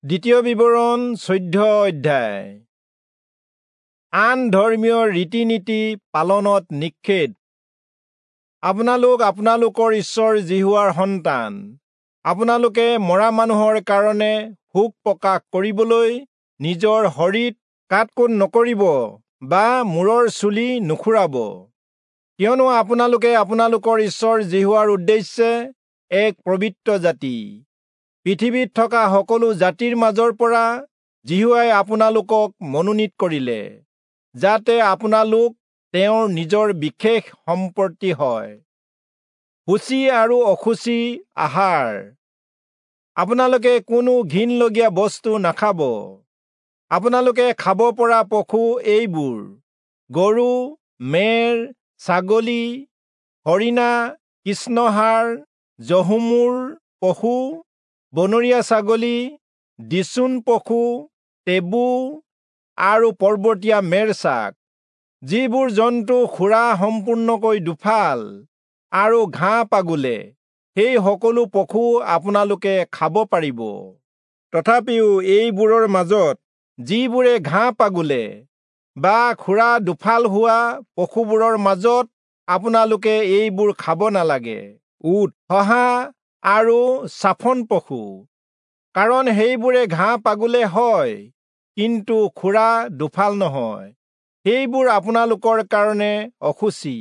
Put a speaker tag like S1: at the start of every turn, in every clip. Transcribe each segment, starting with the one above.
S1: দ্বিতীয় বিৱৰণ 14 অধ্যায়। আন ধৰ্মীয় ৰীতি-নীতি পালনত নিষেধ। আপোনালোক আপোনালোকৰ ঈশ্বৰ যিহোৱাৰ সন্তান। আপোনালোকে মৰা মানুহৰ কাৰণে শোক প্ৰকাশ কৰিবলৈ নিজৰ শৰীৰত কাট-কুট নকৰিব বা মূৰৰ চুলি নুখুৰাব, কিয়নো আপোনালোকে আপোনালোকৰ ঈশ্বৰ যিহোৱাৰ উদ্দেশ্যে এক পবিত্ৰ জাতি। পৃথিৱীত থকা সকলো জাতিৰ মাজৰ পৰা যিহোৱাই আপোনালোকক মনোনীত কৰিলে, যাতে আপোনালোক তেওঁৰ নিজৰ বিশেষ সম্পত্তি হয়। শুচি আৰু অশুচি আহাৰ। আপোনালোকে কোনো ঘিণলগীয়া বস্তু নাখাব। আপোনালোকে খাব পৰা পশু এইবোৰ: গৰু, মেৰ, ছাগলী, হৰিণা, কৃষ্ণহাড়, জহুমূৰ পশু, বনৰীয়া ছাগলী, দিচুন পশু, টেবু আৰু পৰ্বতীয়া মেৰছাক। যিবোৰ জন্তু খুৰা সম্পূৰ্ণকৈ দুফাল আৰু ঘাঁহ পাগুলে, সেই সকলো পশু আপোনালোকে খাব পাৰিব। তথাপিও এইবোৰৰ মাজত যিবোৰে ঘাঁহ পাগুলে বা খুৰা দুফাল হোৱা পশুবোৰৰ মাজত আপোনালোকে এইবোৰ খাব নালাগে: উট, শহা আৰু চাফন পশু, কাৰণ সেইবোৰে ঘাঁহ পাগুলে হয়, কিন্তু খুৰা দুফাল নহয়। সেইবোৰ আপোনালোকৰ কাৰণে অশুচি।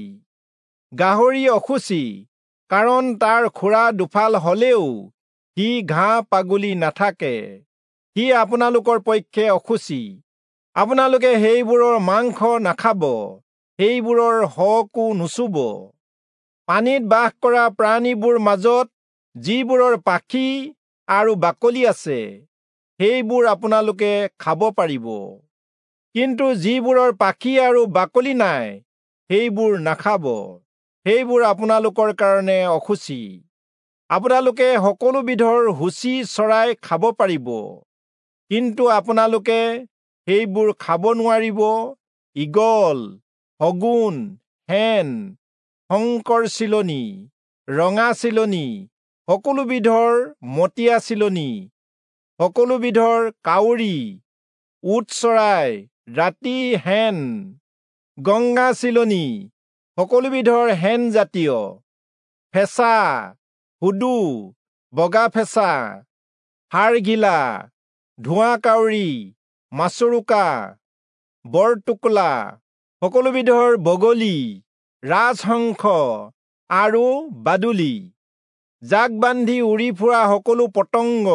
S1: গাহৰি অশুচি, কাৰণ তাৰ খুৰা দুফাল হলেও সি ঘাঁহ পাগুলি নাথাকে। সি আপোনালোকৰ পক্ষে অশুচি। আপোনালোকে সেইবোৰৰ মাংস নাখাব, সেইবোৰৰ শৱকো নুচুব। পানীত বাস কৰা প্ৰাণীবোৰ মাজত যিবোৰৰ পাখি আৰু বাকলি আছে, সেইবোৰ আপোনালোকে খাব পাৰিব। কিন্তু যিবোৰৰ পাখি আৰু বাকলি নাই, সেইবোৰ নাখাব। সেইবোৰ আপোনালোকৰ কাৰণে অশুচি। আপোনালোকে সকলো বিধৰ শুচি চৰাই খাব পাৰিব, কিন্তু আপোনালোকে সেইবোৰ খাব নোৱাৰিব: ঈগল, শগুন, শেন, শংকৰ চিলনী, ৰঙা চিলনী, সকলো বিধৰ মটীয়া চিলনী, সকলো বিধৰ কাউৰী, উট চৰাই, ৰাতি শেন, গংগা চিলনী, সকলো বিধৰ শেন জাতীয়, ফেঁচা, হুদু, বগা ফেঁচা, হাড়গিলা, ধোঁৱা কাউৰী, মাছৰোকা, বৰটোকোলা, সকলো বিধৰ বগলী, ৰাজহংস আৰু বাদুলি। জাক বান্ধি উৰি ফুৰা সকলো পতংগ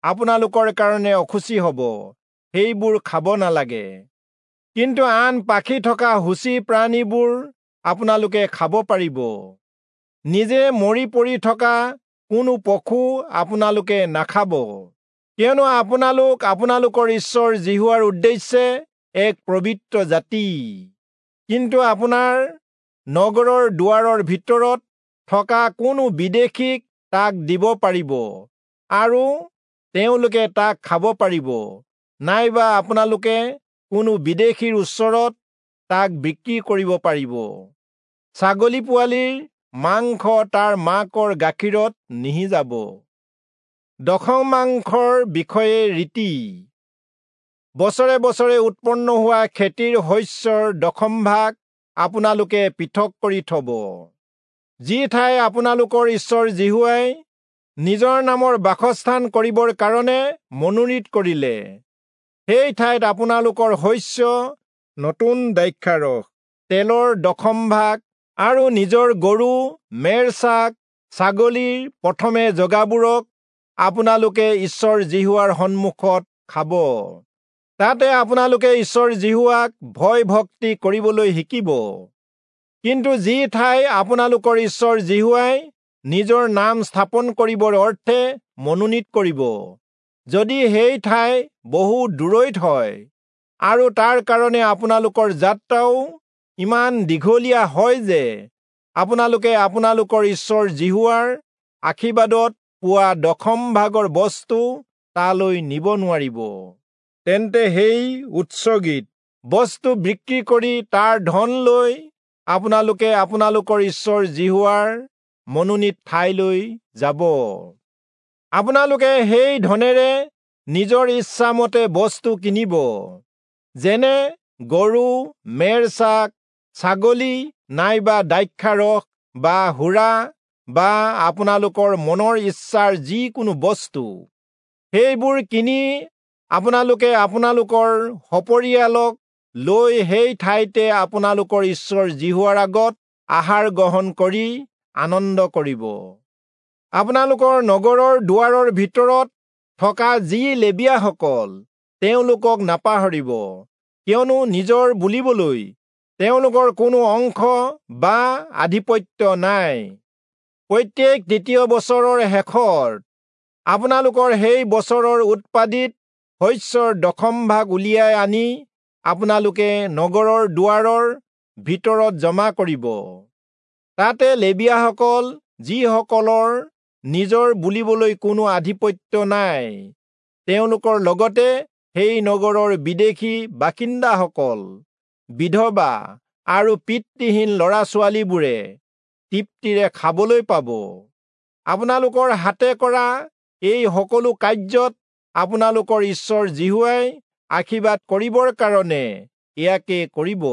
S1: আপোনালোকৰ কাৰণে অশুচি হ'ব, সেইবোৰ খাব নালাগে। কিন্তু আন পাখি থকা শুচি প্ৰাণীবোৰ আপোনালোকে খাব পাৰিব। নিজে মৰি পৰি থকা কোনো পশু আপোনালোকে নাখাব, কিয়নো আপোনালোক আপোনালোকৰ ঈশ্বৰ যিহোৱাৰ উদ্দেশ্যে এক পবিত্ৰ জাতি। কিন্তু আপোনাৰ নগৰৰ দুৱাৰৰ ভিতৰত থকা কোনো বিদেশীক তাক দিব পাৰিব আৰু তেওঁলোকে তাক খাব পাৰিব, নাইবা আপোনালোকে কোনো বিদেশীৰ ওচৰত তাক বিক্ৰী কৰিব পাৰিব। ছাগলী পোৱালিৰ মাংস তাৰ মাকৰ গাখীৰত নিসিজাব। দশমাংশৰ বিষয়ে ৰীতি। বছৰে বছৰে উৎপন্ন হোৱা খেতিৰ শস্যৰ দশম ভাগ আপোনালোকে পৃথক কৰি থব। যি ঠাই আপোনালোকৰ ঈশ্বৰ যিহোৱাই নিজৰ নামৰ বাসস্থান কৰিবৰ কাৰণে মনোনীত কৰিলে, সেই ঠাইত আপোনালোকৰ শস্য, নতুন দ্ৰাক্ষাৰস, তেলৰ দশম ভাগ আৰু নিজৰ গৰু, মেৰছাক, ছাগলীৰ প্ৰথমে জগাবোৰক আপোনালোকে ঈশ্বৰ যিহোৱাৰ সন্মুখত খাব। তাতে আপোনালোকে ঈশ্বৰ যিহোৱাক ভয় ভক্তি কৰিবলৈ শিকিব। কিন্তু যি ঠাই আপোনালোকৰ ঈশ্বৰ যিহোৱাই নিজৰ নাম স্থাপন কৰিবৰ অৰ্থে মনোনীত কৰিব, যদি সেই ঠাই বহু দূৰৈত হয় আৰু তাৰ কাৰণে আপোনালোকৰ যাত্ৰাও ইমান দীঘলীয়া হয় যে আপোনালোকে আপোনালোকৰ ঈশ্বৰ যিহোৱাৰ আশীৰ্বাদত পোৱা দশম ভাগৰ বস্তু তালৈ নিব নোৱাৰিব, তেন্তে সেই উৎসৰ্গিত বস্তু বিক্ৰী কৰি তাৰ ধন লৈ আপোনালোকে আপোনালোকৰ ঈশ্বৰ যিহোৱাৰ মনোনীত ঠাইলৈ যাব। আপোনালোকে সেই ধনেৰে নিজৰ ইচ্ছামতে বস্তু কিনিব, যেনে গৰু, মেৰ-ছাগ, ছাগলী নাইবা দ্ৰাক্ষাৰস বা সুৰা বা আপোনালোকৰ মনৰ ইচ্ছাৰ যিকোনো বস্তু। সেইবোৰ কিনি আপোনালোকে আপোনালোকৰ সপৰিয়ালক লৈ সেই ঠাইতে আপোনালোকৰ ঈশ্বৰ যিহোৱাৰ আগত আহাৰ গ্ৰহণ কৰি আনন্দ কৰিব। আপোনালোকৰ নগৰৰ দুৱাৰৰ ভিতৰত থকা যি লেবীয়াসকল, তেওঁলোকক নাপাহৰিব, কিয়নো নিজৰ বুলিবলৈ তেওঁলোকৰ কোনো অংশ বা আধিপত্য নাই। প্ৰত্যেক দ্বিতীয় বছৰৰ শেষত আপোনালোকৰ সেই বছৰৰ উৎপাদিত শস্যৰ দশম ভাগ উলিয়াই আনি আপোনালোকে নগৰৰ দুৱাৰৰ ভিতৰত জমা কৰিব। তাতে লেবীয়াসকল, যিসকলৰ নিজৰ বুলিবলৈ কোনো আধিপত্য নাই, তেওঁলোকৰ লগতে সেই নগৰৰ বিদেশী বাসিন্দাসকল, বিধৱা আৰু পিতৃহীন ল'ৰা-ছোৱালীবোৰে তৃপ্তিৰে খাবলৈ পাব। আপোনালোকৰ হাতে কৰা এই সকলো কাৰ্যত আপোনালোকৰ ঈশ্বৰ যিহোৱাই আশীৰ্বাদ কৰিবৰ কাৰণে ইয়াকে কৰিব।